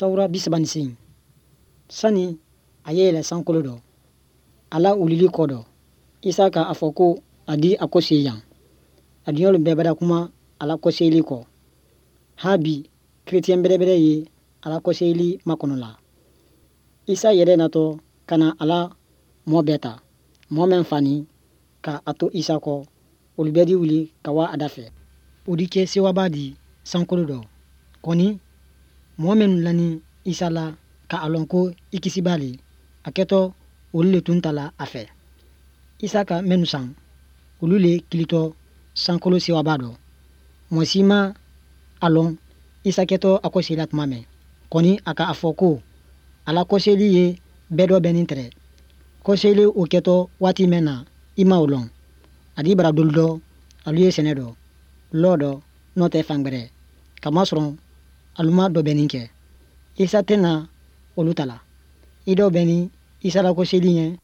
Sawura 38. Sani a ye yɛlɛ sankolo dɔ, a la wulili kɔ dɔ, Isa ka a fɔ ko a di a kɔseyi yan. A diɲɛlu bɛɛ bada kuma a la kɔseyili kɔ. Ha bi, kerecɛn bɛrɛbɛrɛ ye a la kɔseyili makɔnɔ la. Isa yɛrɛ natɔ ka na a la mɔɔ bɛɛ ta. Mɔɔ mɛn fani ka a to Isa kɔ, olu bɛɛ di wuli ka wa a da fɛ. O di kɛ sewaba di sankolo dɔ. Kɔni, mɔɔ minnu lani Isa la ka a lɔn ko i kisibaa le, a kɛtɔ olu le tun tala a fɛ. Isa ka minnu san, olu le kilitɔ sankolo sewaba dɔ. Mɔɔ si ma a lɔn Isa kɛtɔ a kɔseli la tuma mɛn. Kɔni, a ka a fɔ ko a la kɔseli ye bɛɛ dɔbɛnnin tɛrɛ. Kɔseli o kɛtɔ waati mɛn na, i ma o lɔn. A di bara dolu dɔ, alu ye sɛnɛ dɔ, lɔ dɔ, n'o tɛ fan gbɛrɛ. Kamasɔrɔ alu ma dɔbɛnnin kɛ. Isa tɛna olu ta la. I dɔbɛnnin Isa la kɔseli ɲɛ.